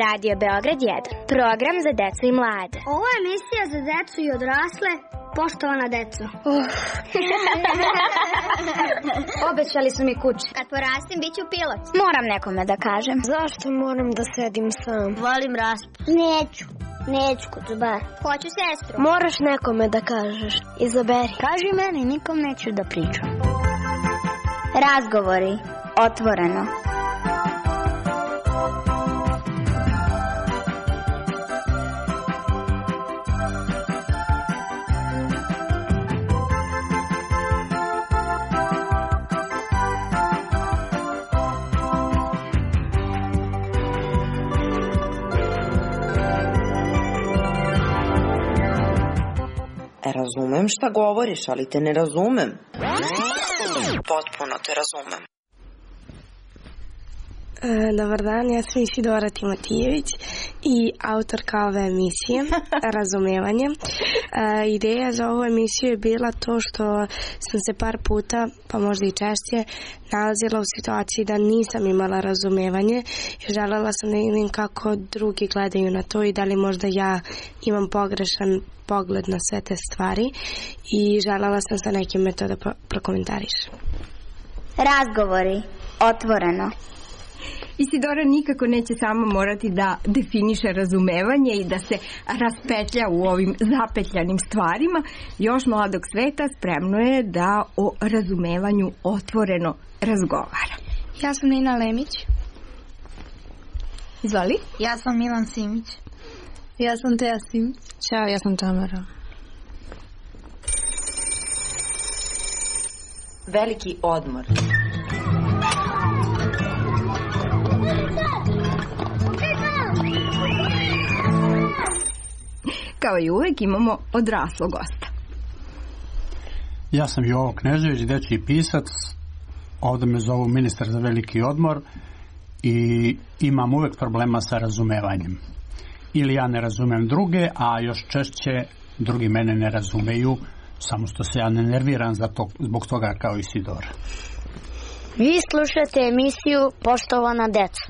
Radio Beograd 1, program za decu i mlade. Ovo je emisija za decu i odrasle, poštovana deco. Obećali su mi kuće. Kad porastim, bit ću pilot. Moram nekome da kažem. Zašto moram da sedim sam? Volim raspust. Neću kod bar. Hoću sestru. Moraš nekome da kažeš. Izaberi. Kaži meni, nikom neću da pričam. Razgovori, otvoreno. Razumem šta govoriš, ali te ne razumem. Potpuno te razumem. Dobar dan, ja sam Isidora Timotijević i autorka ove emisije Razumevanje. Ideja za ovu emisiju je bila to što sam se par puta, pa možda i češće, nalazila u situaciji da nisam imala razumevanje i želela sam da vidim kako drugi gledaju na to i da li možda ja imam pogrešan pogled na sve te stvari i želela sam sa nekim metoda prokomentarišem. Razgovori, otvoreno. Isidora nikako neće sama morati da definiše razumevanje i da se raspetlja u ovim zapetljanim stvarima. Još mladog sveta spremno je da o razumevanju otvoreno razgovara. Ja sam Nina Lemić. Izvoli. Ja sam Milan Simić. Ja sam Teja Simić. Ćao, ja sam Tamara. Veliki odmor. Kao i uvek imamo odraslog gosta. Ja sam Jovo Knežević, dečiji pisac. Ovdje me zovu ministar za veliki odmor i imam uvek problema sa razumevanjem. Ili ja ne razumem druge, a još češće drugi mene ne razumeju, samo što se ja ne nerviram zbog toga kao Isidora. Vi slušate emisiju Poštovana deca.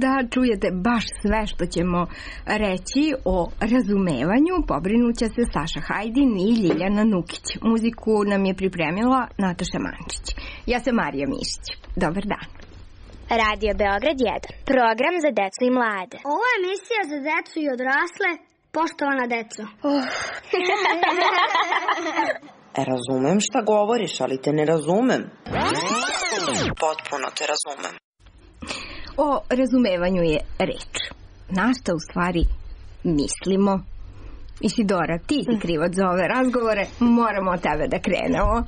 Da čujete baš sve što ćemo reći o razumevanju, pobrinuće se Saša Hajdin i Ljiljana Nukić. Muziku nam je pripremila Nataša Mančić. Ja sam Marija Mišić. Dobar dan. Radio Beograd 1, program za decu i mlade. Ovo je emisija za decu i odrasle, poštovana deco. Razumem šta govoriš, ali te ne razumem. Potpuno te razumem. O razumevanju je reč. Na šta u stvari mislimo? Isidora, ti si krivac za ove razgovore, moramo od tebe da krenemo.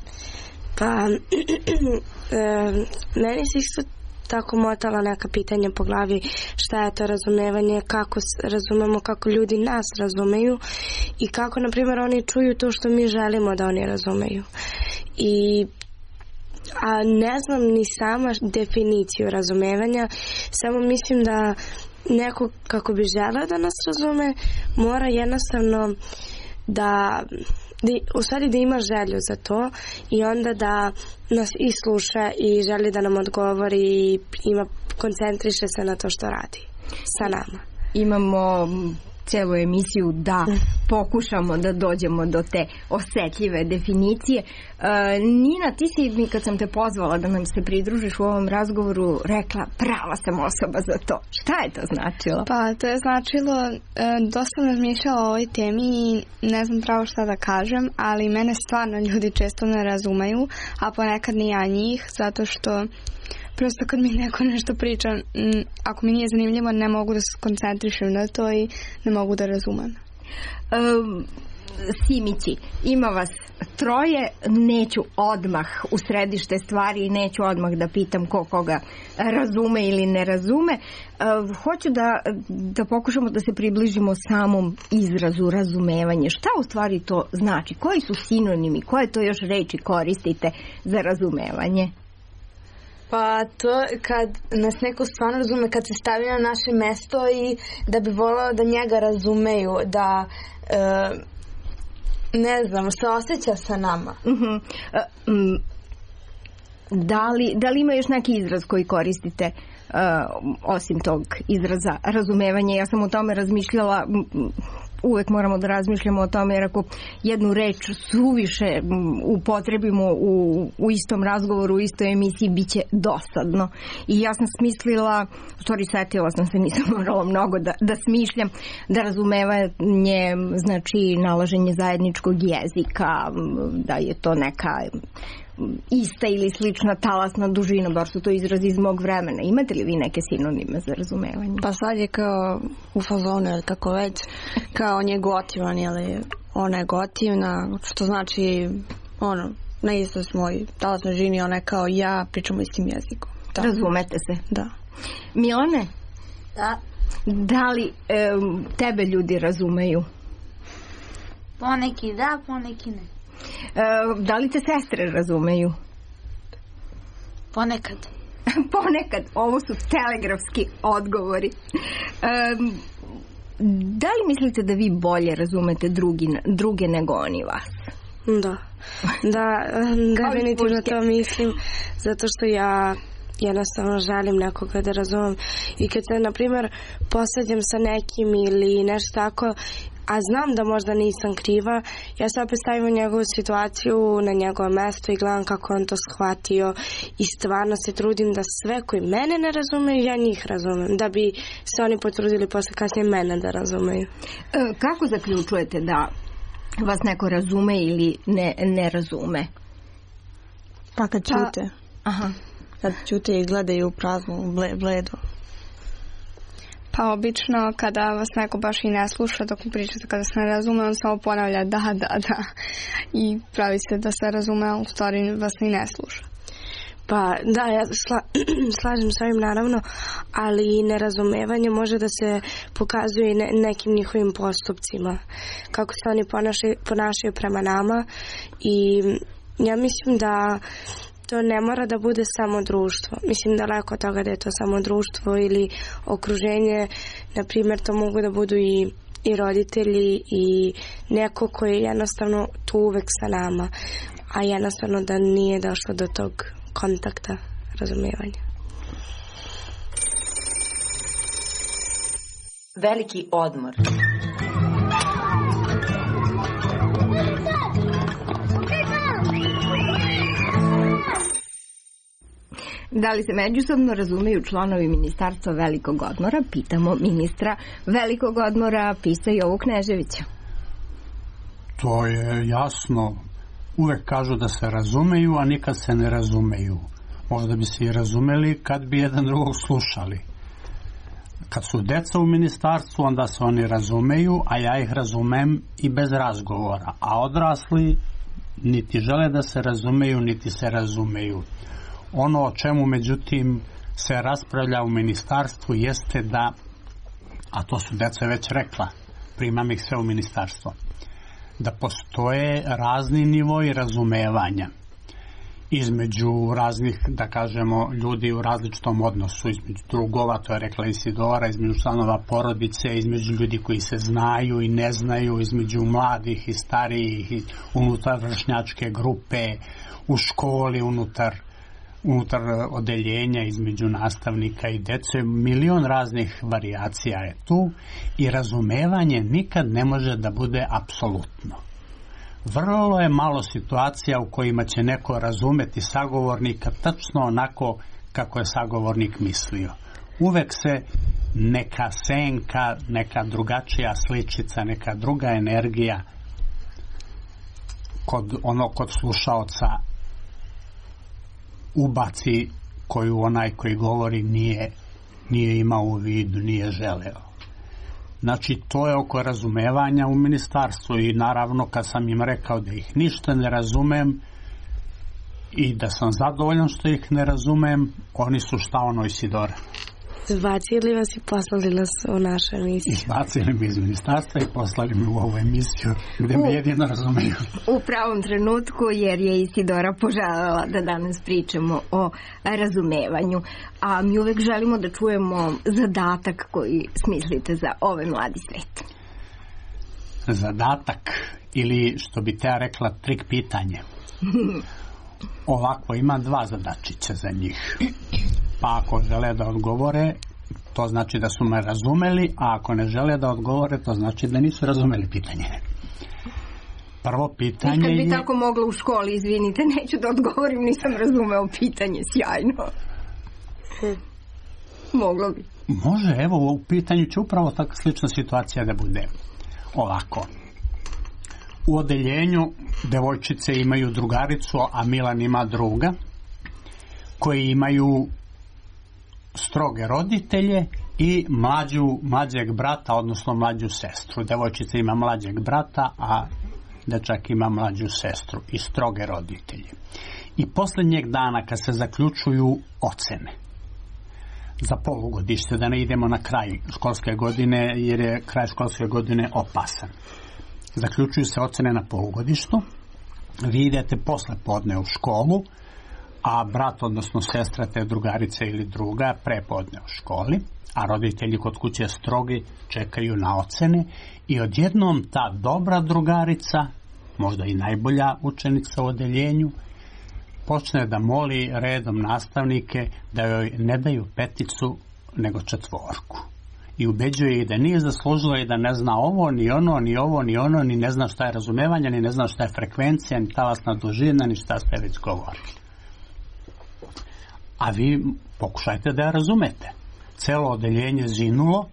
Pa, meni se isto tako motala neka pitanja po glavi, šta je to razumevanje, kako razumemo, kako ljudi nas razumeju i kako, na primjer, oni čuju to što mi želimo da oni razumeju. A ne znam ni sama definiciju razumevanja, samo mislim da neko kako bi želeo da nas razume, mora jednostavno da ima želju za to i onda da nas i sluša i želi da nam odgovori i koncentriše se na to što radi sa nama. Imamo celu emisiju da pokušamo da dođemo do te osetljive definicije. Nina, ti si mi kad sam te pozvala da nam se pridružiš u ovom razgovoru rekla prava sam osoba za to. Šta je to značilo? Pa to je značilo, dosta sam razmišljala o ovoj temi i ne znam pravo šta da kažem, ali mene stvarno ljudi često ne razumeju, a ponekad ni ja njih, zato što prosto kad mi neko nešto priča, ako mi nije zanimljivo, ne mogu da se koncentrišem na to i ne mogu da razumem. Simići, ima vas troje, neću odmah u središte stvari i neću odmah da pitam koga razume ili ne razume. Hoću da pokušamo da se približimo samom izrazu razumevanje. Šta u stvari to znači? Koji su sinonimi? Koje to još reči koristite za razumevanje? Pa to kad nas neko stvarno razume, kad se stavi na naše mesto i da bi volao da njega razumeju, da ne znam, se osjeća sa nama. Da li ima još neki izraz koji koristite osim tog izraza razumevanja? Ja sam o tome razmišljala, uvek moramo da razmišljamo o tome, jer ako jednu reč suviše upotrebimo u istom razgovoru, u istoj emisiji, bit će dosadno. I ja sam smislila, u stvari setila sam se, nisam morala mnogo da smišljam, da razumevanje znači nalaženje zajedničkog jezika, da je to neka ista ili slična talasna dužina, bar su to izrazi iz mog vremena. Imate li vi neke sinonime za razumevanje? Pa sad je kao u fazonu, ili kako već, kao on je gotivan, ili ona je gotivna, što znači, na istoj smo talasnoj dužini, ona je kao ja, pričamo istim jezikom. Tako. Razumete se? Da. Milane? Da. Da li tebe ljudi razumeju? Poneki da, poneki ne. Da li te sestre razumeju? Ponekad. Ponekad. Ovo su telegrafski odgovori. Da li mislite da vi bolje razumete druge nego oni vas? Da, definitivno to mislim, zato što ja jednostavno želim nekoga da razumem. I kad se, na primjer, posađam sa nekim ili nešto tako, a znam da možda nisam kriva, ja se opet stavim u njegovu situaciju, na njegovo mesto i gledam kako on to shvatio i stvarno se trudim da sve koji mene ne razumeju, ja njih razumem, da bi se oni potrudili posle kasnije mene da razumeju. Kako zaključujete da vas neko razume ili ne razume? Pa kad čute. Aha. Kad čute i gledaju u praznu, bledu. Pa obično kada vas neko baš i ne sluša dok pričate, kada se ne razume, on samo ponavlja da i pravi se da se razume, ali u stvari vas ni ne sluša. Pa da, ja slažem s ovim naravno, ali nerazumevanje može da se pokazuje i nekim njihovim postupcima, kako se oni ponašaju prema nama, i ja mislim da to ne mora da bude samo društvo. Mislim daleko od toga da je to samo društvo ili okruženje. Na primjer, to mogu da budu i roditelji i neko koji je jednostavno tu uvek sa nama, a jednostavno da nije došlo do tog kontakta, razumijevanja. Veliki odmor. Da li se međusobno razumeju članovi Ministarstva velikog odmora? Pitamo ministra velikog odmora, Pisa Jovu Kneževića. To je jasno. Uvek kažu da se razumeju, a nikad se ne razumeju. Možda bi se i razumeli kad bi jedan drugog slušali. Kad su deca u ministarstvu, onda se oni razumeju, a ja ih razumem i bez razgovora. A odrasli niti žele da se razumeju, niti se razumeju. Ono o čemu, međutim, se raspravlja u ministarstvu jeste da, a to su deca već rekla, primam ih sve u ministarstvo, da postoje razni nivoi razumevanja između raznih, da kažemo, ljudi u različitom odnosu, između drugova, to je rekla Isidora, između članova porodice, između ljudi koji se znaju i ne znaju, između mladih i starijih, unutar vršnjačke grupe, u školi, unutar odeljenja, između nastavnika i dece. Milion raznih varijacija je tu i razumevanje nikad ne može da bude apsolutno. Vrlo je malo situacija u kojima će neko razumeti sagovornika tačno onako kako je sagovornik mislio. Uvek se neka senka, neka drugačija sličica, neka druga energija kod slušaoca ubaci, koju onaj koji govori nije imao u vidu, nije želeo. Znači, to je oko razumevanja u ministarstvu i naravno kad sam im rekao da ih ništa ne razumem i da sam zadovoljan što ih ne razumem, oni su šta ono Isidora? Izbacili vas i poslali nas u našu emisiju. Izbacili mi iz ministarstva i poslali mi u ovu emisiju gde me jedino razumeju. U pravom trenutku, jer je Isidora poželjela da danas pričamo o razumevanju. A mi uvek želimo da čujemo zadatak koji smislite za ovaj mladi svet. Zadatak, ili što bi te rekla, trik pitanje. Ovako, ima 2 zadačića za njih. Pa ako žele da odgovore, to znači da su me razumeli, a ako ne žele da odgovore, to znači da nisu razumeli pitanje. Prvo pitanje je... Nikad bi tako mogla u školi, izvinite, neću da odgovorim, nisam razumeo pitanje, sjajno. Moglo bi. Može, evo, u pitanju će upravo takva slična situacija da bude. Ovako. U odeljenju devojčice imaju drugaricu, a Milan ima druga, koji imaju stroge roditelje i mlađeg brata, odnosno mlađu sestru. Devojčica ima mlađeg brata, a dečak ima mlađu sestru i stroge roditelje. I posljednjeg dana kad se zaključuju ocene za polugodište, da ne idemo na kraj školske godine, jer je kraj školske godine opasan. Zaključuju se ocene na polugodištu, vi idete posle podne u školu, a brat, odnosno sestra te drugarice ili druga, prepodne u školi, a roditelji kod kuće strogi čekaju na ocene i odjednom ta dobra drugarica, možda i najbolja učenica u odeljenju, počne da moli redom nastavnike da joj ne daju 5 nego 4. I ubeđuje ih da nije zaslužila i da ne zna ovo, ni ono, ni ovo, ni ono, ni ne zna šta je razumevanje, ni ne zna šta je frekvencija, ni talasna dužina, ni šta ste već govorili. A vi pokušajte da je razumete. Celo odeljenje zinulo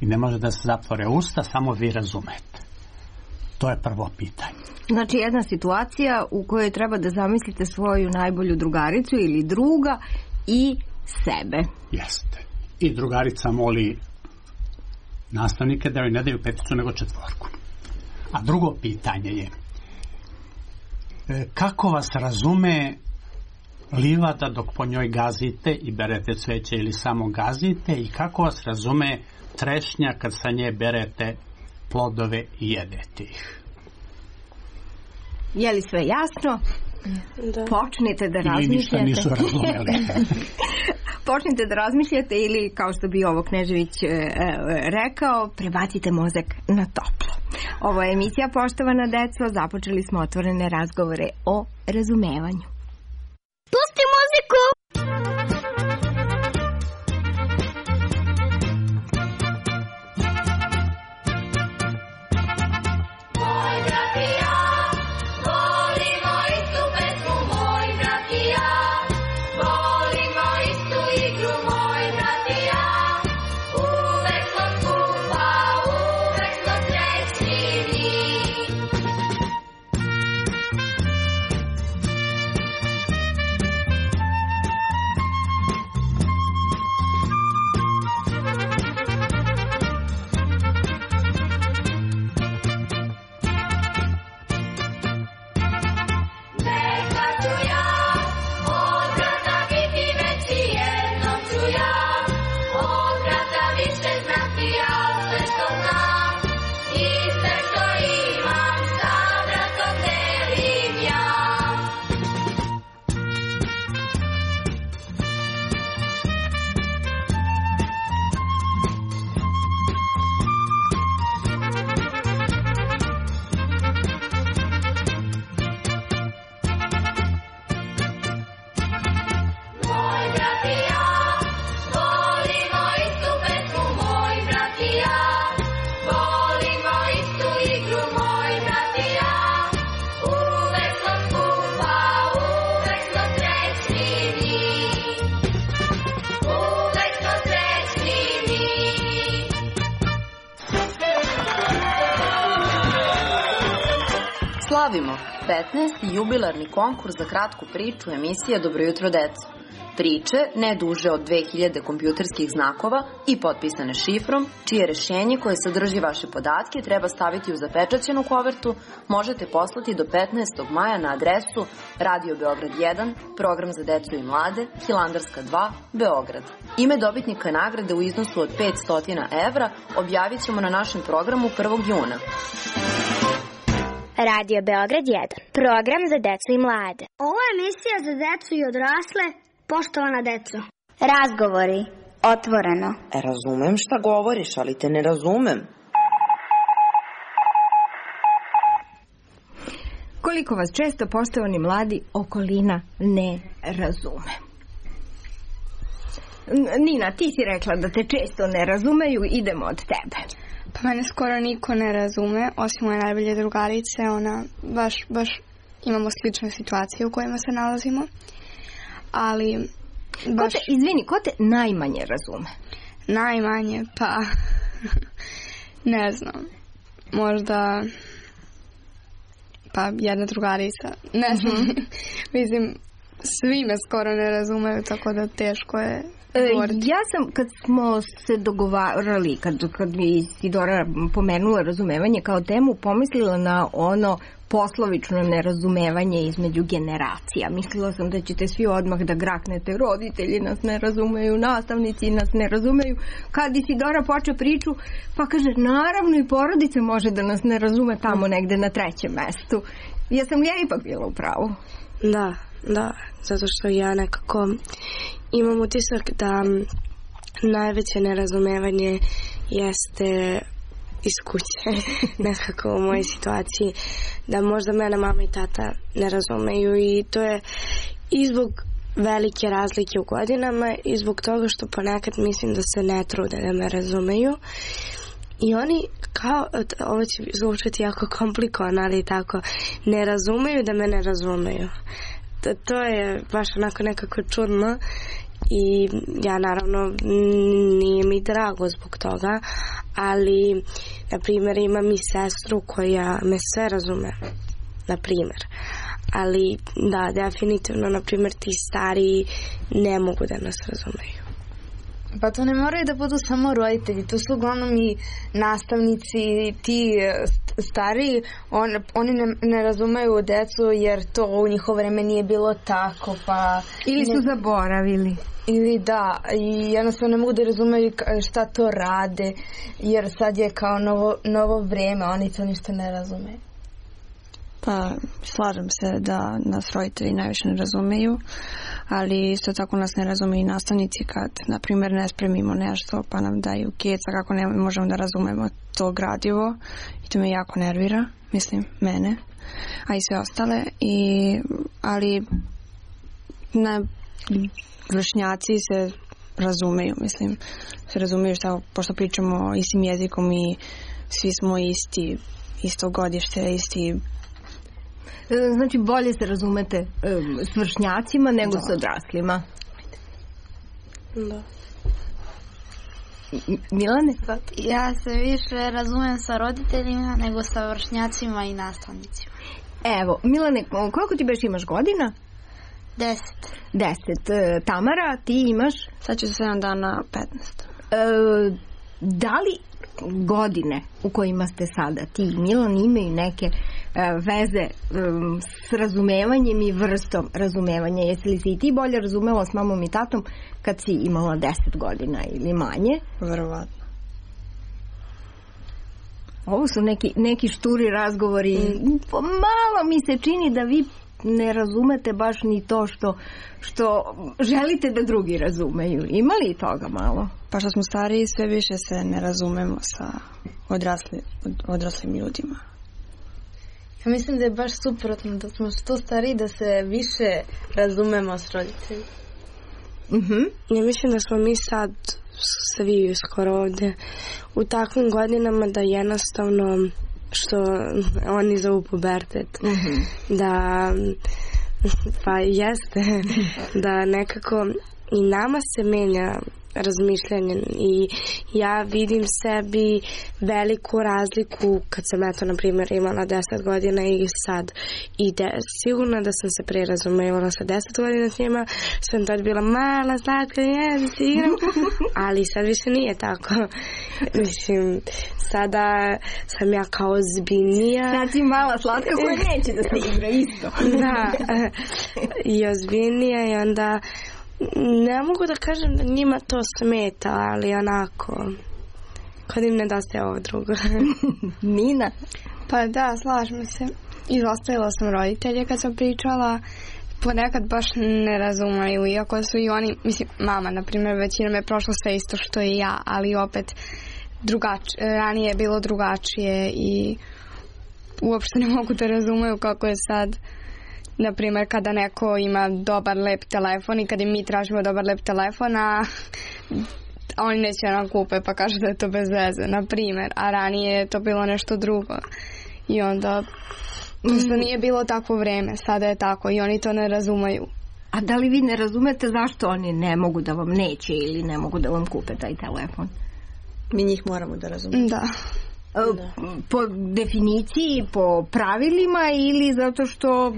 i ne može da se zatvore usta, samo vi razumete. To je prvo pitanje. Znači jedna situacija u kojoj treba da zamislite svoju najbolju drugaricu ili druga i sebe. Jeste. I drugarica moli nastavnike da joj ne daju 5 nego 4. A drugo pitanje je kako vas razume livada dok po njoj gazite i berete cveće ili samo gazite i kako vas razume trešnja kad sa nje berete plodove i jedete ih. Je li sve jasno? Da. Počnite da razmišljate. Ili ništa nisu razumeli. Počnite da razmišljate ili, kao što bi ovo Knežević rekao, prebacite mozak na toplo. Ovo je emisija Poštovana deco. Započeli smo otvorene razgovore o razumevanju. Pusti muziku! Slavimo 15. jubilarni konkurs za kratku priču emisije Dobro jutro deco. Priče ne duže od 2000 kompjuterskih znakova i potpisane šifrom, čije rešenje koje sadrži vaše podatke treba staviti u zapečaćenu kovertu, možete poslati do 15. maja na adresu Radio Beograd 1, program za decu i mlade, Hilandarska 2, Beograd. Ime dobitnika nagrade u iznosu od 500 evra objavit ćemo na našem programu 1. juna. Radio Beograd 1, program za decu i mlade. Ovo je emisija za decu i odrasle, poštovana deco. Razgovori, otvoreno. Razumem šta govoriš, ali te ne razumem. Koliko vas često, poštovani mladi, okolina ne razume? Nina, ti si rekla da te često ne razumeju, idemo od tebe. Pa mene skoro niko ne razume, osim moje najbolje drugarice, ona baš imamo slične situacije u kojima se nalazimo, ali baš... Ko te najmanje razume? Najmanje, pa ne znam, možda pa jedna drugarica, ne znam, mislim, svi me skoro ne razumeju, tako da teško je govoriti. Ja sam, kad smo se dogovarali, kad mi Isidora pomenula razumevanje kao temu, pomislila na ono poslovično nerazumevanje između generacija. Mislila sam da ćete svi odmah da graknete, roditelji nas ne razumeju, nastavnici nas ne razumeju. Kad Isidora poče priču, pa kaže, naravno i porodica može da nas ne razume tamo negde na trećem mestu. Jesam li ja ipak bila u pravu? Da, zato što ja nekako imam utisak da najveće nerazumevanje jeste iz kuće, nekako u mojoj situaciji, da možda mene mama i tata ne razumeju i to je i zbog velike razlike u godinama i zbog toga što ponekad mislim da se ne trude da me razumeju i oni kao, ovo će zvučati jako komplikovano, ali tako, ne razumeju da me ne razumeju. To je baš onako nekako čudno i ja naravno nije mi drago zbog toga, ali na primjer imam i sestru koja me sve razume, na primjer, ali da, definitivno na primjer ti stariji ne mogu da nas razumeju. Pa to ne moraju da budu samo roditelji, to su uglavnom i nastavnici, ti stariji, oni ne razumeju decu jer to u njihovo vreme nije bilo tako, pa... Ili su zaboravili. Ili da, i jednostavno ne mogu da razumeju šta to rade, jer sad je kao novo vreme, oni to ništa ne razumeju. Pa slažem se da nas roditelji najviše ne razumeju, ali isto tako nas ne razumeju i nastavnici kad, na primjer, ne spremimo nešto pa nam daju keca kako ne možemo da razumemo to gradivo i to me jako nervira, mislim, mene, a i sve ostale, ali vršnjaci se razumeju, mislim, se razumeju šta, pošto pričamo istim jezikom i svi smo isto godište, isti. Znači bolje se razumete s vršnjacima nego s odraslima. Da. Milane? Ja se više razumem sa roditeljima nego sa vršnjacima i nastavnicima. Evo, Milane, koliko ti beš imaš godina? 10. Tamara, ti imaš? Sad ću 7 dana 15. Da li godine u kojima ste sada ti i Milan imaju neke veze s razumevanjem i vrstom razumevanja? Jesi li se i ti bolje razumela s mamom i tatom kad si imala 10 godina ili manje? Verovatno. Ovo su neki šturi razgovori. Malo mi se čini da vi ne razumete baš ni to što želite da drugi razumeju. Ima li toga malo? Pa što smo stariji, sve više se ne razumemo sa odraslim ljudima. Ja mislim da je baš suprotno, da smo što stariji da se više razumemo s roditeljima. Ja mislim da smo mi sad svi skoro ovdje u takvim godinama da jednostavno, što oni zovu pubertet, da pa jeste da nekako i nama se menja razmišljanje i ja vidim sebi veliku razliku kad sam na primjer imala 10 godina i sad i sigurno da sam se pre razumevala sa 10 godina s njima, sam tad bila mala, slatka, da se igram, ali sad više nije tako. Mislim, sada sam ja kao ozbiljnija. Sad si mala slatka koja neće da se igra isto. Da, i ozbiljnija i onda ne mogu da kažem da njima to smeta, ali onako kad im nedostaje ovo drugo. Nina? Pa da, slažem se. Izostavila sam roditelje kad sam pričala, ponekad baš ne razumeju, iako su i oni, mislim, mama, na primjer, većina me prošla sve isto što i ja, ali opet ranije je bilo drugačije i uopšte ne mogu da razumeju kako je sad, na primjer, kada neko ima dobar, lep telefon i kada mi tražimo dobar, lep telefon, a oni neće nam kupe pa kažu da je to bez veze, na primjer, a ranije je to bilo nešto drugo i onda to nije bilo takvo vreme, sada je tako i oni to ne razumeju. A da li vi ne razumete zašto oni ne mogu da vam neće ili ne mogu da vam kupe taj telefon? Mi njih moramo da razumemo. Da. Po definiciji, po pravilima ili zato što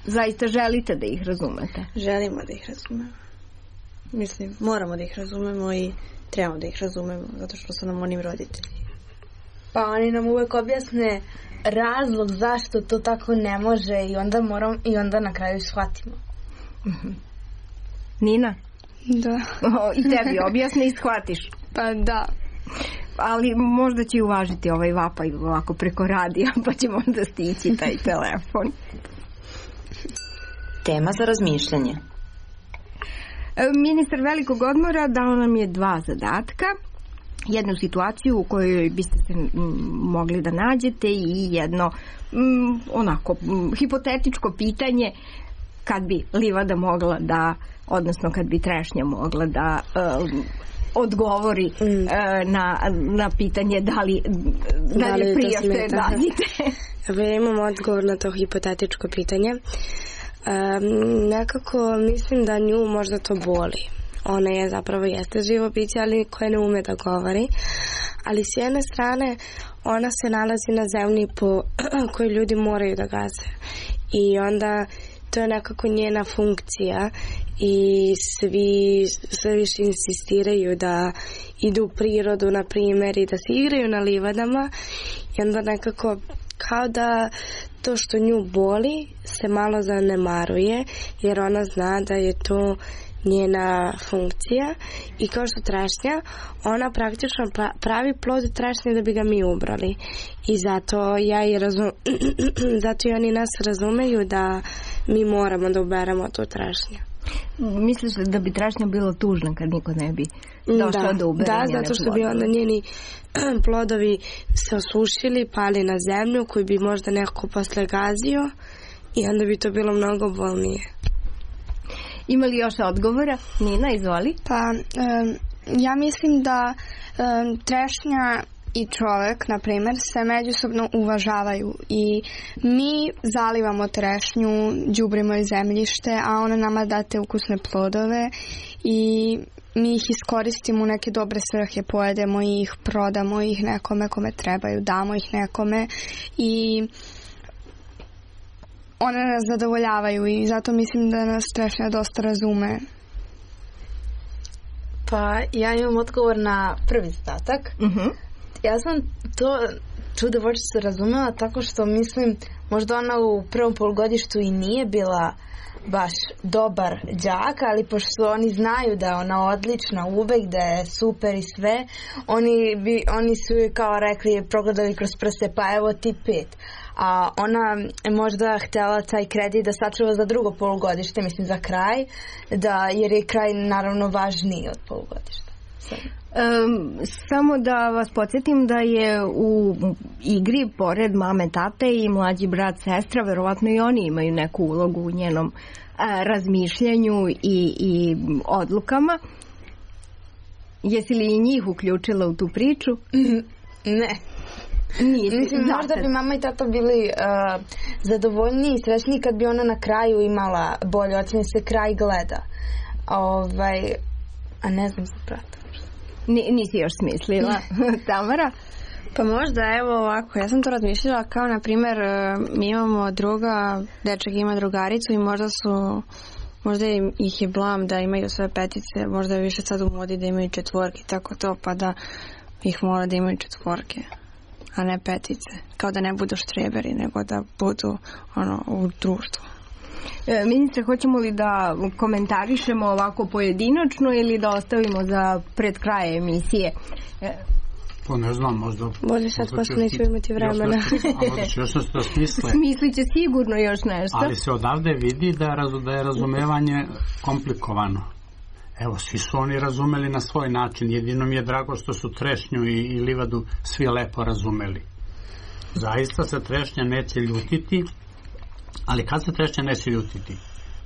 zaista želite da ih razumete? Želimo da ih razumemo. Mislim, moramo da ih razumemo i trebamo da ih razumemo, zato što su nam oni roditelji. Pa oni nam uvek objasne razlog zašto to tako ne može i onda na kraju shvatimo. Nina? Da. I tebi objasne i shvatiš? Pa da. Ali možda će uvažiti ovaj vapaj ovako preko radija, pa ćemo onda stići taj telefon. Tema za razmišljanje. Ministar velikog odmora dao nam je 2 zadatka. Jednu situaciju u kojoj biste se mogli da nađete i jedno onako hipotetičko pitanje kad bi livada mogla da, odnosno kad bi trešnja mogla da odgovori na pitanje da li prije što je dadite. Imam odgovor na to hipotetičko pitanje. Nekako mislim da nju možda to boli. Ona je zapravo jeste živo biće, ali koje ne ume da govori. Ali s jedne strane ona se nalazi na zemlji po kojoj ljudi moraju da gaze. I onda to je nekako njena funkcija i sve više insistiraju da idu u prirodu, na primjer, i da se igraju na livadama. I onda nekako kao da to što nju boli se malo zanemaruje, jer ona zna da je to njena funkcija i kao što trešnja, ona praktično pravi plod trešnje da bi ga mi ubrali. I zato zato i oni nas razumeju da mi moramo da uberemo tu trešnju. Misliš da bi trešnja bila tužna kad niko ne bi došao da ubere njene plodove? Da, zato što bi onda njeni plodovi se osušili, pali na zemlju koju bi možda neko posle gazio i onda bi to bilo mnogo bolnije. Ima li još odgovora? Nina, izvoli. Pa, ja mislim da trešnja i čovjek, na primjer, se međusobno uvažavaju i mi zalivamo trešnju, đubrimo iz zemljište, a ona nama da te ukusne plodove i mi ih iskoristimo u neke dobre svrhe, pojedemo ih, prodamo ih nekome kome trebaju, damo ih nekome i one nas zadovoljavaju i zato mislim da nas trešnja dosta razume. Pa ja imam odgovor na prvi zadatak. Ja sam to čudovođicu razumela tako što mislim možda ona u prvom polugodištu i nije bila baš dobar đak, ali pošto oni znaju da je ona odlična uvek, da je super i sve, oni su joj kao rekli, progledali kroz prste, pa evo ti 5. A ona je možda htjela taj kredit da sačuva za drugo polugodište, mislim za kraj, jer je kraj naravno važniji od polugodišta. Samo da vas podsjetim da je u igri pored mame, tate i mlađi brat, sestra, verovatno i oni imaju neku ulogu u njenom razmišljanju i odlukama. Jesi li i njih uključila u tu priču? Ne. Mislim, možda bi mama i tata bili zadovoljniji i srećniji kad bi ona na kraju imala bolje ocene, se kraj gleda. A ne znam za brata. Nisi još smislila. Tamara? Pa možda, evo ovako, ja sam to razmišljala kao, na primjer, mi imamo druga, dečak ima drugaricu i možda ih je blam da imaju sve 5, možda je više sad u modi da imaju 4, tako to, pa da ih mora da imaju 4, a ne 5, kao da ne budu štreberi, nego da budu u društvu. Ministre, hoćemo li da komentarišemo ovako pojedinačno ili da ostavimo za pred kraje emisije? To ne znam, možda... Bolje sad, pošto neću imati vremena. Još nešto da smisle. Smislit će sigurno još nešto. Ali se odavde vidi da je razumevanje komplikovano. Evo, svi su oni razumeli na svoj način. Jedino mi je drago što su trešnju i livadu svi lepo razumeli. Zaista se trešnja neće ljutiti, ali kad se trešnja neće ljutiti?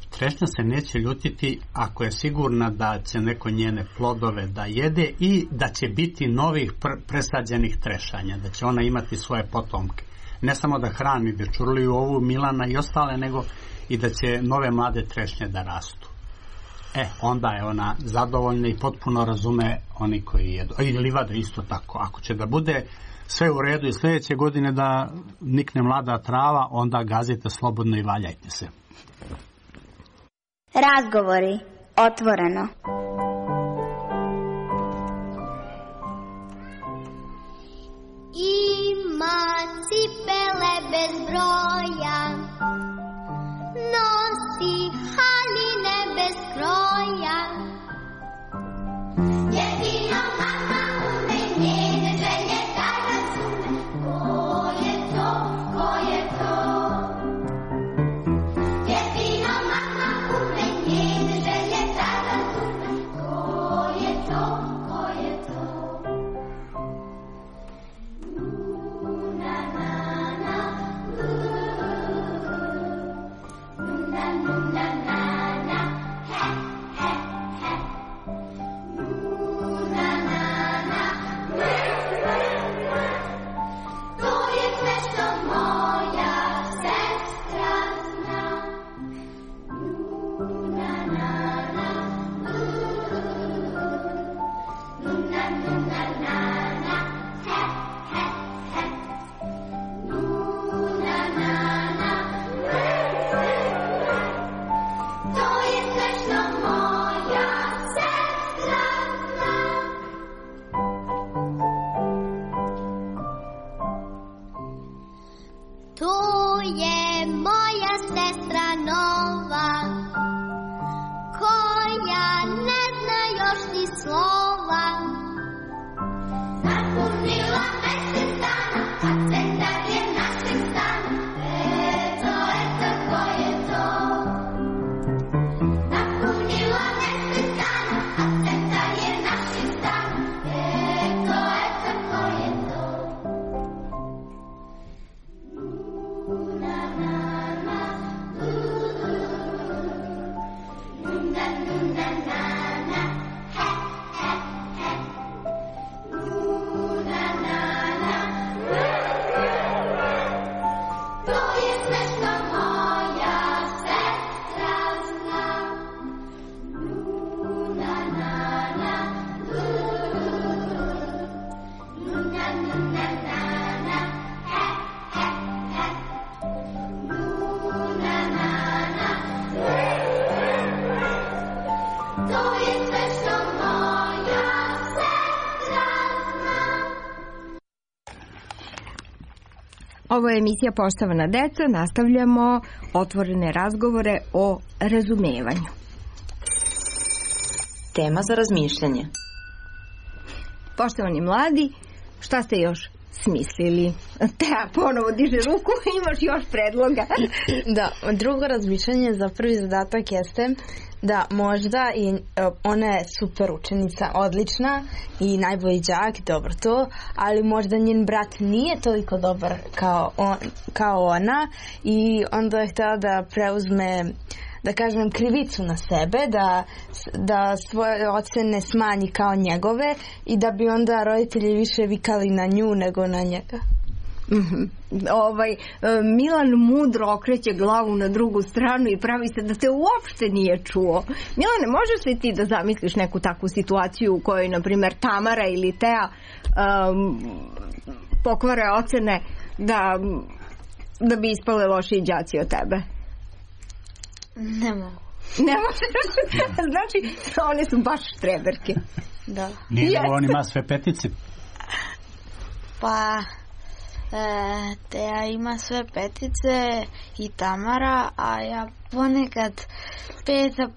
Trešnja se neće ljutiti ako je sigurna da će neko njene plodove da jede i da će biti novih presađenih trešanja, da će ona imati svoje potomke. Ne samo da hrani dečurliju ovu Milana i ostale, nego i da će nove mlade trešnje da rastu. Onda je ona zadovoljna i potpuno razume oni koji jedu. I livada isto tako. Ako će da bude sve u redu i sljedeće godine da nikne mlada trava, onda gazite slobodno i valjajte se. Razgovori. Otvoreno. Ima cipele bez broja, nosi haline bez kroja. Jedino mama ume njene želje da razume. Ko je to, ko je to? Jedino mama ume njene želje da razume. Ko je to, ko je to? Na na na, na na na na, he he he. Na na na, to je sve što moja sestra zna. Na na na, na na na na, he he he. Na na na, to je sve što moja sestra zna. To je moja sestra nova, koja ne zna još ni slova. Napunila mesec dana, a centar je našeg stana. Eto, ko je to? Napunila mesec dana, a centar je našeg stana. Eto, ko je to? Na na na, na na na na, he he he. Na na na, to je sve što moja sestra zna. Na na na, na na na na, he he he. Na na na, to je sve što moja sestra zna. Ovo je emisija Poštovana deca. Nastavljamo otvorene razgovore o razumevanju. Tema za razmišljanje. Poštovani mladi, šta ste još smislili? Teja ponovo diže ruku, imaš još predloga. Da, drugo razmišljanje za prvi zadatak jeste da možda i ona je super učenica, odlična i najbolji đak, dobro to, ali možda njen brat nije toliko dobar kao ona i onda je htjela da preuzme, da kažem, krivicu na sebe, da svoje ocene smanji kao njegove i da bi onda roditelji više vikali na nju nego na njega. Milan mudro okreće glavu na drugu stranu i pravi se da te uopšte nije čuo. Milane, možeš li ti da zamisliš neku takvu situaciju u kojoj, na primjer, Tamara ili Teja pokvare ocene da bi ispale lošiji đaci od tebe? Ne mogu. Ne možeš? Znači, one su baš štreberke. Da. Nije on ima sve petice. Pa Teja ima sve petice i Tamara, a ja ponekad 5, a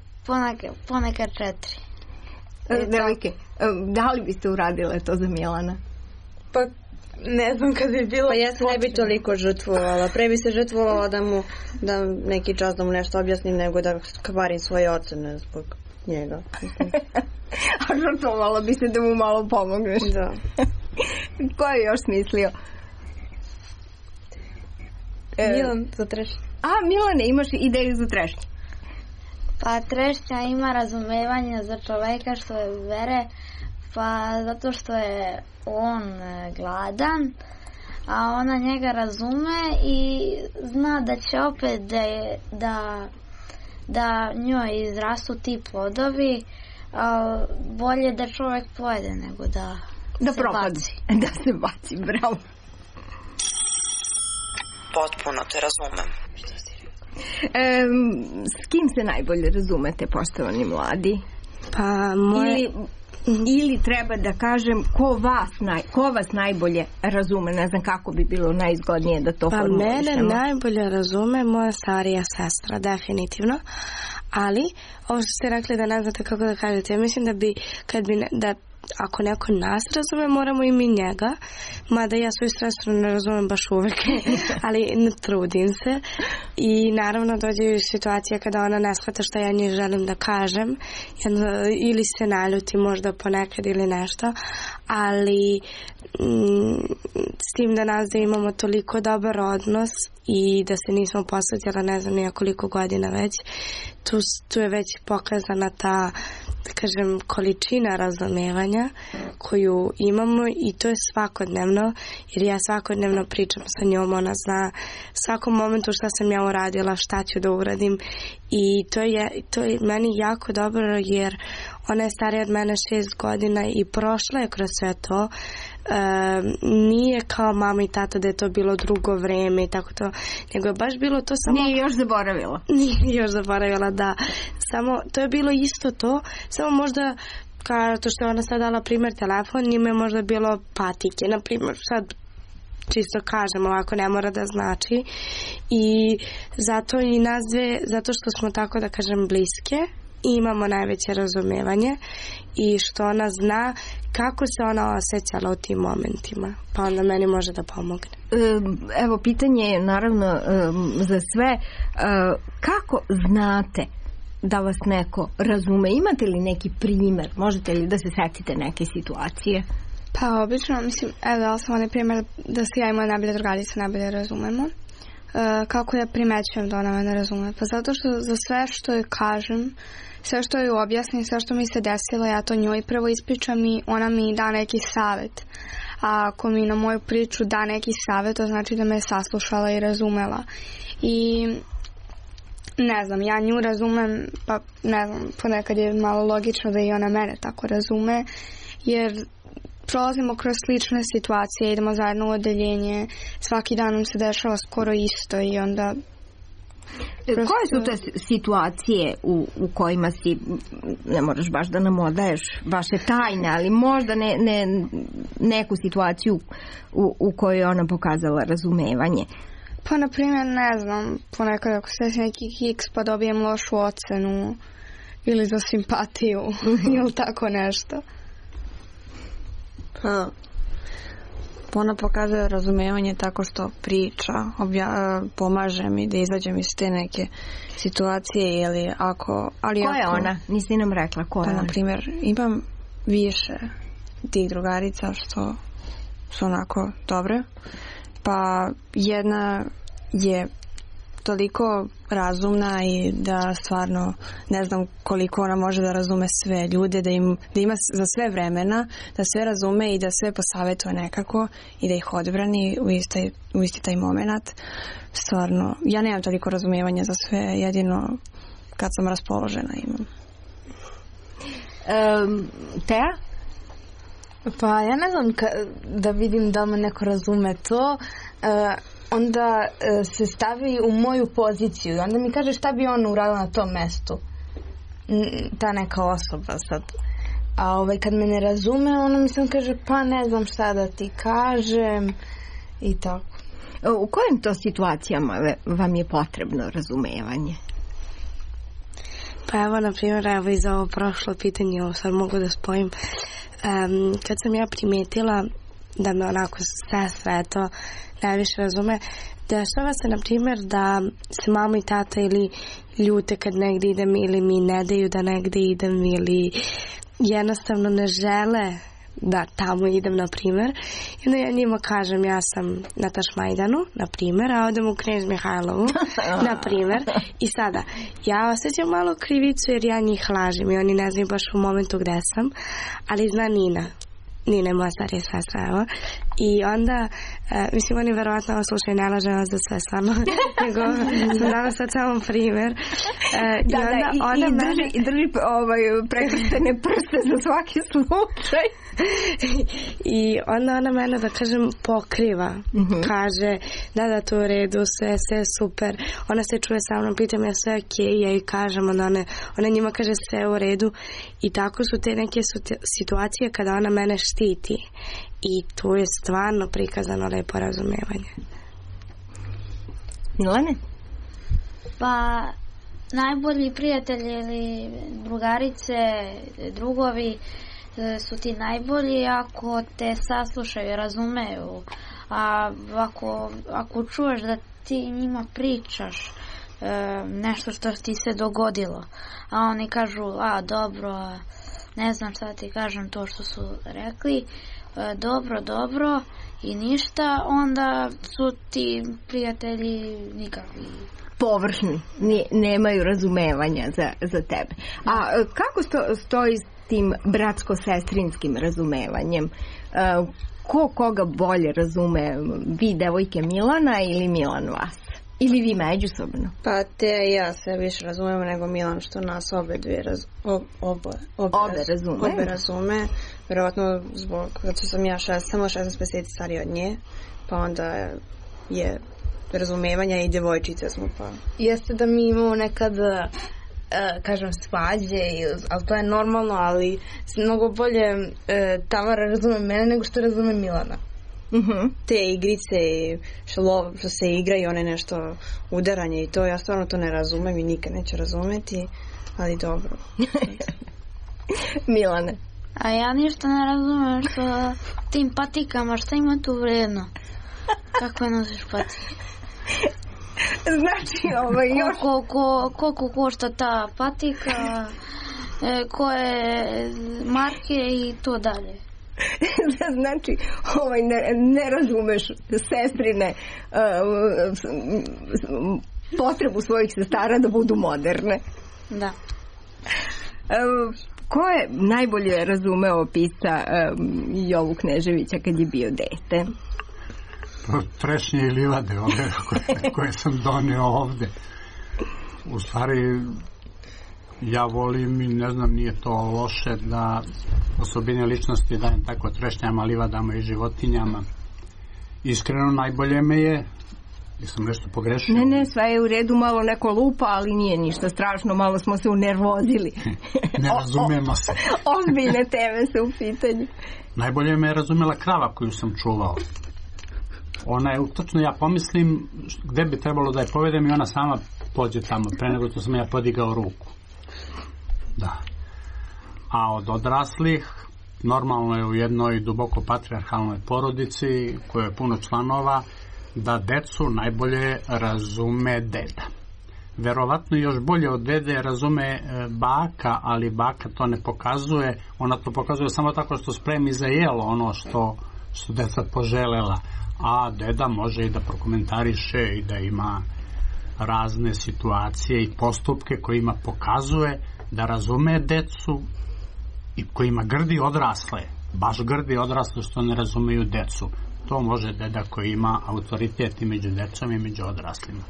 ponekad 4. Devojke, da li biste uradile to za Milana? Pa ne znam kad bi bilo... Pa ja se ne bi toliko žrtvovala. Pre bi se žrtvovala da neki čas da mu nešto objasnim nego da kvarim svoje ocene zbog njega. A žrtvovala bi se da mu malo pomogneš. Da. Ko je još smislio? Milan za trešnju. Milane, imaš ideju za trešnju? Pa trešnja ima razumevanja za čoveka što je vere, pa zato što je on gladan, a ona njega razume i zna da će opet da njoj izrastu ti plodovi, bolje da čovek pojede nego da se baci. Da se baci, bravo. Potpuno te razumem. S kim se najbolje razumete, poštovani mladi? Pa ili treba da kažem ko vas najbolje razume, ne znam kako bi bilo najzgodnije da to formulišemo. Mene najbolje razume moja starija sestra, definitivno, ali ovo što ste rekli da ne znate kako da kažete, ja mislim da ako neko nas razume, moramo i mi njega, mada ja svoju sestru ne razumem baš uvek, ali ne trudim se i naravno dođe situacija kada ona ne shvata šta ja njoj želim da kažem ili se naljuti možda ponekad ili nešto, ali s tim da nas da imamo toliko dobar odnos i da se nismo posvetila ne znam nijekoliko godina već, tu je već pokazana ta, da kažem, količina razumevanja koju imamo i to je svakodnevno, jer ja svakodnevno pričam sa njom, ona zna svakom momentu šta sam ja uradila, šta ću da uradim i to je meni jako dobro jer ona je starija od mene 6 godina i prošla je kroz sve to. Nije kao mama i tata da je to bilo drugo vreme i tako to, nego je baš bilo to samo... Nije još zaboravila. Nije još zaboravila, da. Samo, to je bilo isto to, samo možda kao to što je ona sad dala primjer telefon, njima je možda bilo patike, na primjer, sad čisto kažem, ovako ne mora da znači i zato i nas dve, zato što smo tako da kažem bliske, imamo najveće razumevanje i što ona zna kako se ona osjećala u tim momentima, pa onda meni može da pomogne. Evo, pitanje je naravno za sve, kako znate da vas neko razume? Imate li neki primjer? Možete li da se setite neke situacije? Pa obično, mislim, evo dala sam onaj primjer da se ja i moja najbolja drugarica najbolje razumemo. Kako ja primećujem da ona me ne razume? Pa zato što za sve što joj kažem, sve što joj objasnim, sve što mi se desilo, ja to njoj prvo ispričam i ona mi da neki savjet. A ako mi na moju priču da neki savjet, to znači da me je saslušala i razumela. I ne znam, ja nju razumem, pa ne znam, ponekad je malo logično da i ona mene tako razume, jer prolazimo kroz slične situacije, idemo zajedno u odeljenje, svaki dan nam se dešava skoro isto i onda... Koje su te situacije u kojima si, ne moraš baš da nam odaješ vaše tajne, ali možda neku situaciju u kojoj je ona pokazala razumevanje? Pa, na primjer, ne znam, ponekad ako se desi neki kiks pa dobijem lošu ocenu ili za simpatiju ili tako nešto. Pa, ona pokazuje razumevanje tako što priča, pomaže mi da izađem iz te neke situacije ili ako... Ko je ona? Nisi nam rekla ko je ona. Na primjer, imam više tih drugarica što su onako dobre, pa jedna je toliko razumna i da stvarno ne znam koliko ona može da razume sve ljude, da ima za sve vremena, da sve razume i da sve posavetuje nekako i da ih odbrani u isti taj moment. Stvarno, ja nemam toliko razumevanja za sve, jedino kad sam raspoložena imam. Teja? Pa ja ne znam da vidim da me neko razume to, onda se stavi u moju poziciju i onda mi kaže šta bi on uradila na tom mestu, ta neka osoba sad. A kad me ne razume, ona mi sam kaže pa ne znam šta da ti kažem i tako. U kojim to situacijama vam je potrebno razumevanje? Pa evo, na primjer, evo i za ovo prošlo pitanje, ovo sad mogu da spojim. Kad sam ja primetila da me onako sestra to najviše razume, dešava se na primjer da se mama i tata ili ljute kad negdje idem ili mi ne daju da negdje idem ili jednostavno ne žele da tamo idem, na primjer. I onda ja njima kažem ja sam na Tašmajdanu, na primjer, a odem u Knez Mihajlovu, na primjer. I sada, ja osjećam malo krivicu jer ja njih lažem i oni ne znaju baš u momentu gde sam, ali zna Nina je moja starija sestra, evo. I onda, mislim, oni verovatno ovo slušaju, ne lažem vas za sve stvarno, nego sam dala sad samo primjer. I drži prekrštene prste za svaki slučaj. I onda ona mene, da kažem, pokriva. Kaže, da, to u redu, sve super. Ona se čuje sa mnom, pita me sve okej, ja joj kažem, ona njima kaže sve u redu. I tako su te neke situacije kada ona mene štiti. I tu je stvarno prikazano lepo razumevanje. Milane? Pa, najbolji prijatelji ili drugarice, drugovi su ti najbolji ako te saslušaju, razumeju. A ako čuješ da ti njima pričaš nešto što ti se dogodilo, a oni kažu, dobro, ne znam šta ti kažem to što su rekli, dobro i ništa, onda su ti prijatelji nikakvi. Površni, nemaju razumevanja za tebe. A kako stoji s tim bratsko-sestrinskim razumevanjem? Ko koga bolje razume? Vi, devojke, Milana ili Milan vas? Ili vi međusobno? Pa ja se više razumemo nego Milan, što nas obe razume. Vjerovatno zbog, zato sam ja samo 16 mjeseci starija od nje, pa onda je razumevanja i djevojčice smo pa. Jeste da mi imamo nekad kažem svađe, ali to je normalno, ali mnogo bolje Tamara razume mene nego što razume Milana. Te igrice što se igra i one nešto udaranje i to, ja stvarno to ne razumem i nikad neću razumeti, ali dobro. Milane? A ja ništa ne razumem što tim patikama, šta ima tu vredno? Kako je nosiš patike? Znači, još... Koliko košta ta patika, koje marke i to dalje. Znači, ne razumeš sestrine potrebu svojih sestara da budu moderne. Da. Ko je najbolje razumeo pisca Jovu Kneževića kad je bio dete? Trešnje i livade ove koje sam donio ovde. U stvari, ja volim i ne znam, nije to loše da osobine ličnosti dajem tako trešnjama, livadama i životinjama. Iskreno, najbolje me je, jesam nešto pogrešio? Ne, sve je u redu, malo neko lupa, ali nije ništa strašno, malo smo se unervozili. Ne razumemo se. Ozbiljne teme su u pitanju. Najbolje me je razumela krava koju sam čuvao. Ona je, točno ja pomislim gde bi trebalo da je povedem i ona sama pođe tamo, pre nego što sam ja podigao ruku. Da. A od odraslih, normalno je u jednoj duboko patrijarhalnoj porodici, koja je puno članova, da decu najbolje razume deda. Verovatno još bolje od dede razume baka, ali baka to ne pokazuje, ona to pokazuje samo tako što spremi za jelo ono što su deca poželela, a deda može i da prokomentariše i da ima razne situacije i postupke kojima pokazuje da razume decu i kojima grdi odrasle, baš grdi odrasle što ne razumeju decu. To može deda koji ima autoritet i među decom i među odraslima.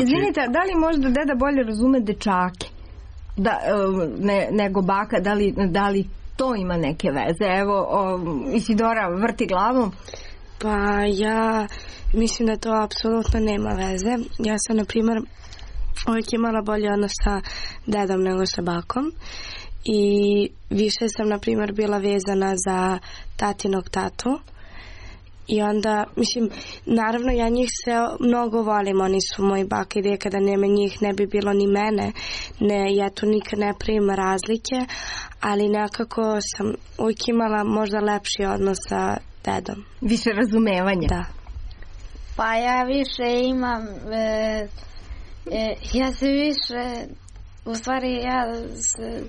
Izvinite, da li možda deda bolje razume dečake nego baka? Da li to ima neke veze? Evo, Isidora vrti glavom. Pa ja mislim da to apsolutno nema veze. Ja sam, na primjer, uvijek imala bolje odnos sa dedom nego sa bakom i više sam, na primjer, bila vezana za tatinog tatu. I onda, mislim, naravno ja njih sve mnogo volim, oni su moji baka i dede, kada nema njih ne bi bilo ni mene, ja tu nikad ne pravim razlike, ali nekako sam uvijek imala možda lepši odnos sa dedom. Više razumevanja. Da. Pa ja više imam, ja se više u stvari ja se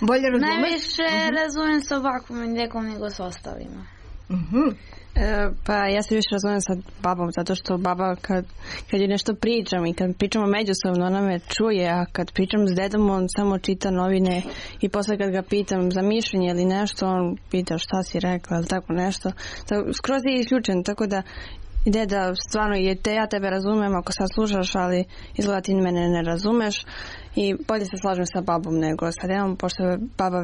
bolje razumeš? Najviše razumijem sa ovakvom i nekom nego s ostalima. Pa ja se više razumijem sa babom, zato što baba kad je nešto pričam i kad pričamo međusobno, ona me čuje, a kad pričam s dedom, on samo čita novine i posle kad ga pitam za mišljenje ili nešto, on pita šta si rekla ili tako nešto. Skroz je isključen, tako da ide da stvarno ja tebe razumem ako sad slušaš, ali izgleda ti mene ne razumeš i bolje se slažem sa babom nego sa dedom, pošto baba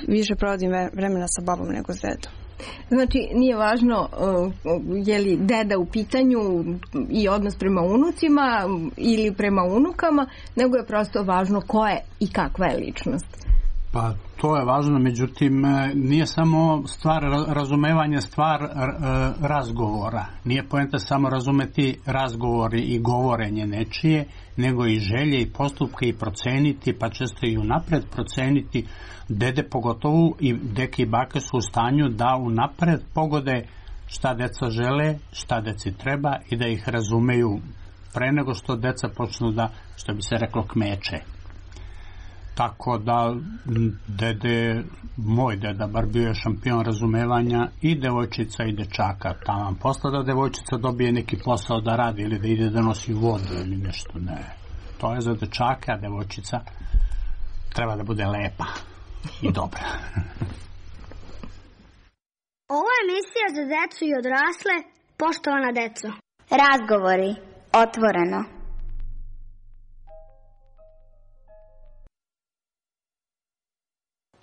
više provodim vremena sa babom nego s dedom. Znači, nije važno je li deda u pitanju i odnos prema unucima ili prema unukama, nego je prosto važno ko je i kakva je ličnost. Pa to je važno, međutim nije samo stvar razumevanja, stvar razgovora. Nije poenta samo razumeti razgovori i govorenje nečije, nego i želje i postupke i proceniti, pa često i unapred proceniti. Dede pogotovo i deke i bake su u stanju da unapred pogode šta deca žele, šta deci treba i da ih razumeju pre nego što deca počnu da, što bi se reklo, kmeče. Tako da moj deda bar bio je šampion razumevanja i devojčica i dečaka. Taman posla da devojčica dobije neki posao da radi ili da ide da nosi vodu ili nešto, ne. To je za dečaka, a devojčica treba da bude lepa i dobra. Ovo je emisija za decu i odrasle, poštovana deco. Razgovori, otvoreno.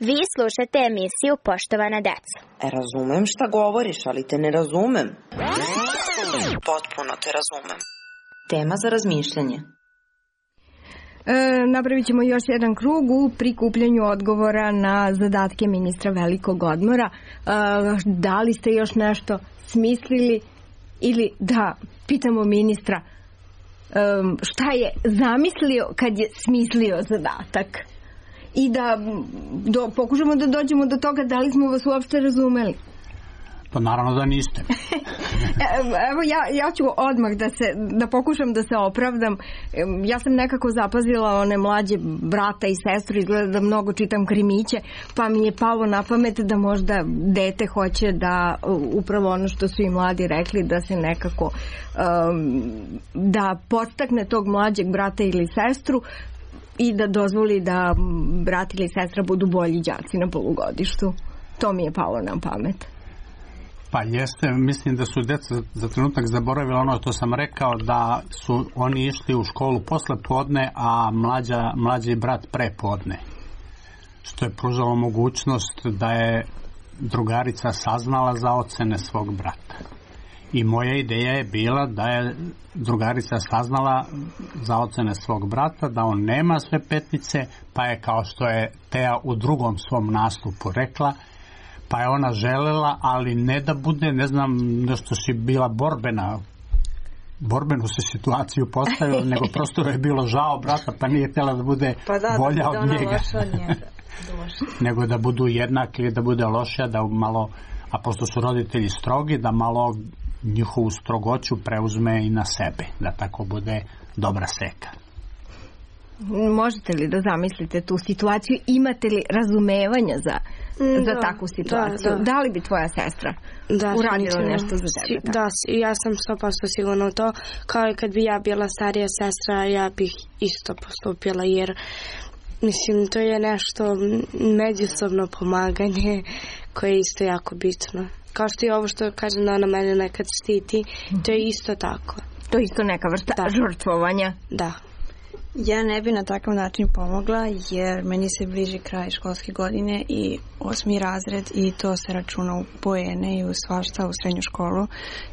Vi slušate emisiju Poštovana deca. Razumem šta govoriš, ali te ne razumem. Potpuno te razumem. Tema za razmišljanje. Napravit ćemo još jedan krug u prikupljanju odgovora na zadatke ministra velikog odmora. Da li ste još nešto smislili ili da pitamo ministra šta je zamislio kad je smislio zadatak i da pokušamo da dođemo do toga da li smo vas uopšte razumeli. Pa naravno da niste. Evo ja ću odmah da pokušam da se opravdam. Ja sam nekako zapazila one mlađe brata i sestru, izgleda da mnogo čitam krimiće, pa mi je palo na pamet da možda dete hoće da upravo ono što su i mladi rekli, da se nekako da podstakne tog mlađeg brata ili sestru i da dozvoli da brat ili sestra budu bolji đaci na polugodištu. To mi je palo na pamet. Pa jeste, mislim da su deca za trenutak zaboravila ono što sam rekao, da su oni išli u školu posle podne, a mlađi brat pre podne. Što je pružalo mogućnost da je drugarica saznala za ocene svog brata. I moja ideja je bila da je drugarica saznala za ocene svog brata, da on nema sve petice, pa je, kao što je Teja u drugom svom nastupu rekla, pa je ona želela, ali ne da bude, ne znam, nešto si bila borbenu se situaciju postavila, nego prosto je bilo žao brata, pa nije htjela da bude bolja od njega. Nego da budu jednaki ili da bude lošija, da malo, a pošto su roditelji strogi, da malo njihovu strogoću preuzme i na sebe, da tako bude dobra seka. Možete li da zamislite tu situaciju? Imate li razumevanja za takvu situaciju? Da li bi tvoja sestra uradila nešto za tebe? Da, ja sam 100% sigurna u to. Kao i kad bi ja bila starija sestra, ja bih isto postupila, jer mislim, to je nešto međusobno pomaganje koje je isto jako bitno. Kao što je ovo što kažem da ona mene nekad štiti, to je isto tako. To je isto neka vrsta žrtvovanja? Da. Ja ne bi na takav način pomogla, jer meni se bliži kraj školske godine i 8. razred i to se računa u poene i u svašta u srednju školu,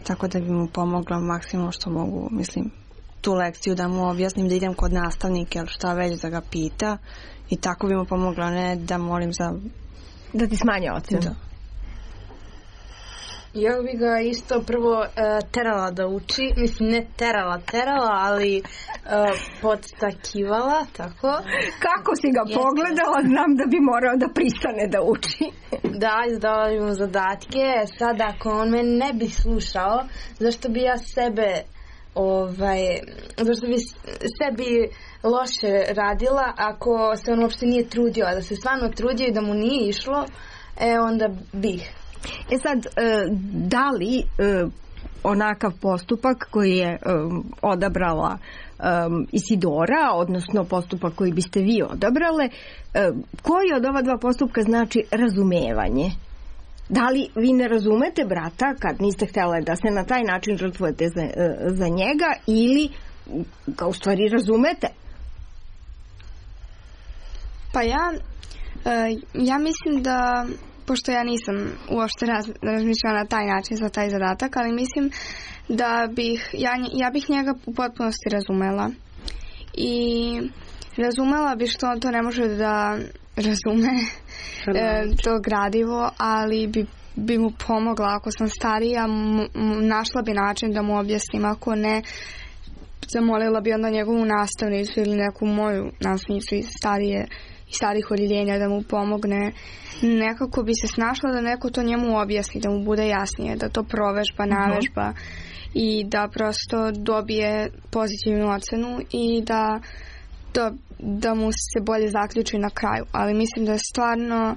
tako da bi mu pomogla maksimalno što mogu, mislim, tu lekciju da mu objasnim, da idem kod nastavnika ili šta već da ga pita i tako bi mu pomogla, ne da molim za... Da ti smanje ocenu. Da. Ja bih ga isto prvo terala da uči, mislim ne terala, ali podstakivala, tako. Kako si ga pogledala, znam da bi morao da pristane da uči. Da, izdala bi mu zadatke, sad ako on me ne bi slušao, zašto bi ja sebe zašto bi sebi loše radila ako se on uopšte nije trudio, a da se stvarno trudio i da mu nije išlo, onda bih. Sad, da li onakav postupak koji je odabrala Isidora, odnosno postupak koji biste vi odabrale, koji od ova dva postupka znači razumevanje? Da li vi ne razumete brata kad niste htjele da se na taj način žrtvujete za njega, ili ga u stvari razumete? Pa ja mislim da, pošto ja nisam uopšte razmišljala na taj način za taj zadatak, ali mislim da ja bih njega u potpunosti razumela. I razumela bi što on to ne može da razume, to gradivo, ali bi mu pomogla ako sam starija, našla bi način da mu objasnim, ako ne, zamolila bi onda njegovu nastavnicu ili neku moju nastavnicu iz starih odjeljenja da mu pomogne. Nekako bi se snašla da neko to njemu objasni, da mu bude jasnije, da to provežba, navežba i da prosto dobije pozitivnu ocenu i da mu se bolje zaključi na kraju. Ali mislim da je stvarno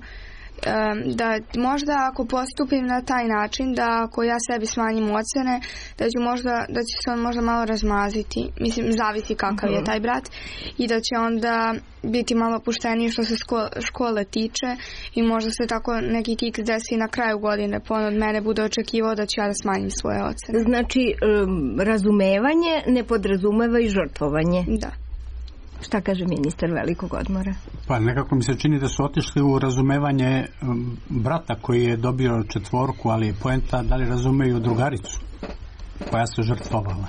da možda ako postupim na taj način, da ako ja sebi smanjim ocene, da će se on možda malo razmaziti. Mislim, zavisi kakav je taj brat, i da će onda biti malo pušteniji što se škole tiče, i možda se tako neki kiks desi na kraju godine, pa on od mene bude očekivao da ću ja da smanjim svoje ocene. Znači, razumevanje ne podrazumeva i žrtvovanje. Da. Šta kaže ministar velikog odmora? Pa nekako mi se čini da su otišli u razumevanje brata koji je dobio 4, ali je poenta da li razumeju drugaricu koja se žrtvovala.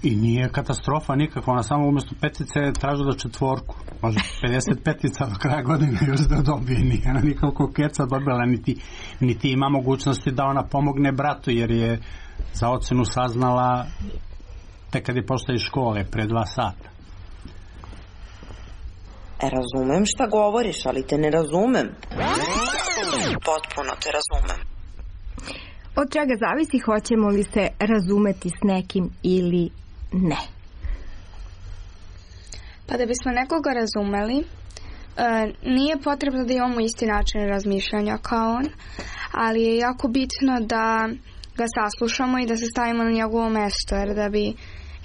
I nije katastrofa nikakva, ona samo umjesto 5 tražila 4, može 55 do kraja godine još da dobije, nije ona nikako keca dobila, niti ima mogućnosti da ona pomogne bratu, jer je za ocenu saznala tek kad je pošla iz škole pre 2 sata. Razumem šta govoriš, ali te ne razumem. Potpuno te razumem. Od čega zavisi hoćemo li se razumeti s nekim ili ne? Pa da bismo nekoga razumeli, nije potrebno da imamo isti način razmišljanja kao on, ali je jako bitno da ga saslušamo i da se stavimo na njegovo mesto, jer da bi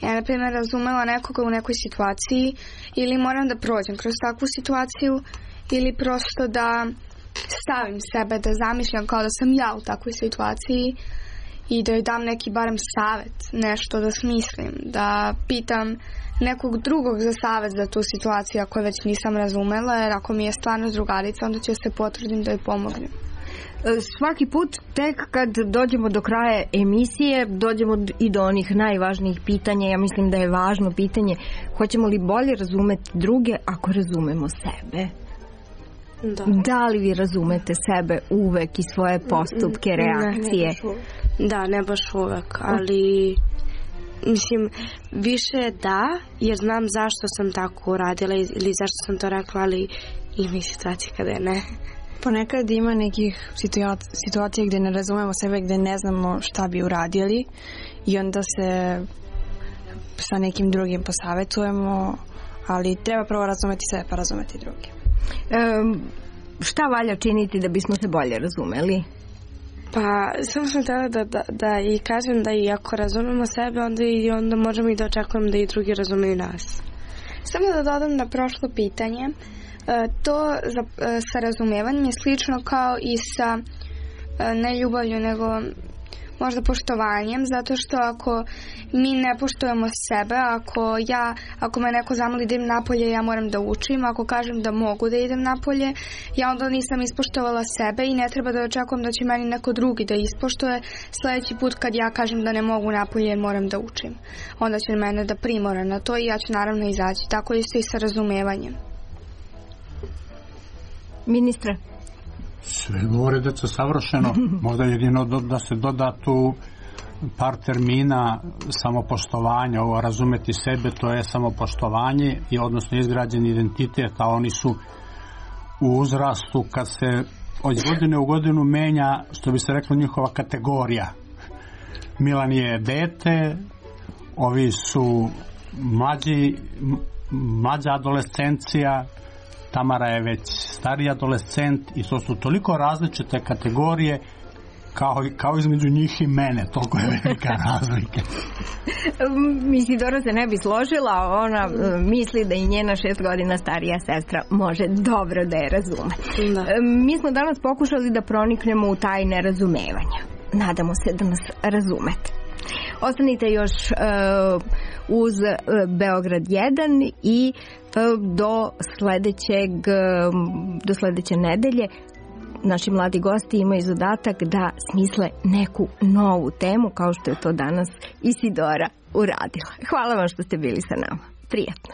ja, na primjer, razumela nekoga u nekoj situaciji, ili moram da prođem kroz takvu situaciju, ili prosto da stavim sebe, da zamišljam kao da sam ja u takvoj situaciji i da joj dam neki barem savjet, nešto da smislim, da pitam nekog drugog za savjet za tu situaciju ako je već nisam razumela, jer ako mi je stvarno drugarica, onda ću se potrudim da joj pomognem. Svaki put tek kad dođemo do kraja emisije dođemo i do onih najvažnijih pitanja. Ja mislim da je važno pitanje hoćemo li bolje razumeti druge ako razumemo sebe. Da li vi razumete sebe uvek i svoje postupke, reakcije? Ne baš uvek, ali mislim, više da, jer znam zašto sam tako uradila ili zašto sam to rekla, ali ima i situacije kada je ne. Ponekad ima nekih situacija gdje ne razumemo sebe, gdje ne znamo šta bi uradili i onda se sa nekim drugim posavetujemo, ali treba prvo razumeti sebe pa razumeti druge. Šta valja činiti da bismo se bolje razumeli? Pa samo sam htjela da i kažem da i ako razumemo sebe, onda možemo i da očekujemo da i drugi razumeju nas. Samo da dodam na prošlo pitanje, to sa razumevanjem je slično kao i sa ne ljubavlju, nego možda poštovanjem, zato što ako mi ne poštujemo sebe, ako me neko zamoli da idem napolje, ja moram da učim, ako kažem da mogu da idem napolje, ja onda nisam ispoštovala sebe i ne treba da očekujem da će meni neko drugi da ispoštuje sljedeći put kad ja kažem da ne mogu napolje jer moram da učim. Onda će mene da primora na to i ja ću naravno izaći. Tako isto i sa razumevanjem. Ministre? Sve govore deca savršeno, možda jedino da se doda tu par termina samopoštovanja, ovo razumeti sebe, to je samopoštovanje i odnosno izgrađen identitet, a oni su u uzrastu kad se od godine u godinu menja, što bi se reklo, njihova kategorija. Milan je dete, ovi su mlađa adolescencija, Tamara je već stariji adolescent i to su toliko različite kategorije kao između njih i mene, toliko je velika razlika. Isidora se ne bi složila, ona misli da i njena 6 godina starija sestra može dobro da je razume. Mi smo danas pokušali da proniknemo u taj nerazumevanja. Nadamo se da nas razumete. Ostanite još uz Beograd 1 i do sledeće nedelje naši mladi gosti imaju zadatak da smisle neku novu temu, kao što je to danas Isidora uradila. Hvala vam što ste bili sa nama. Prijatno.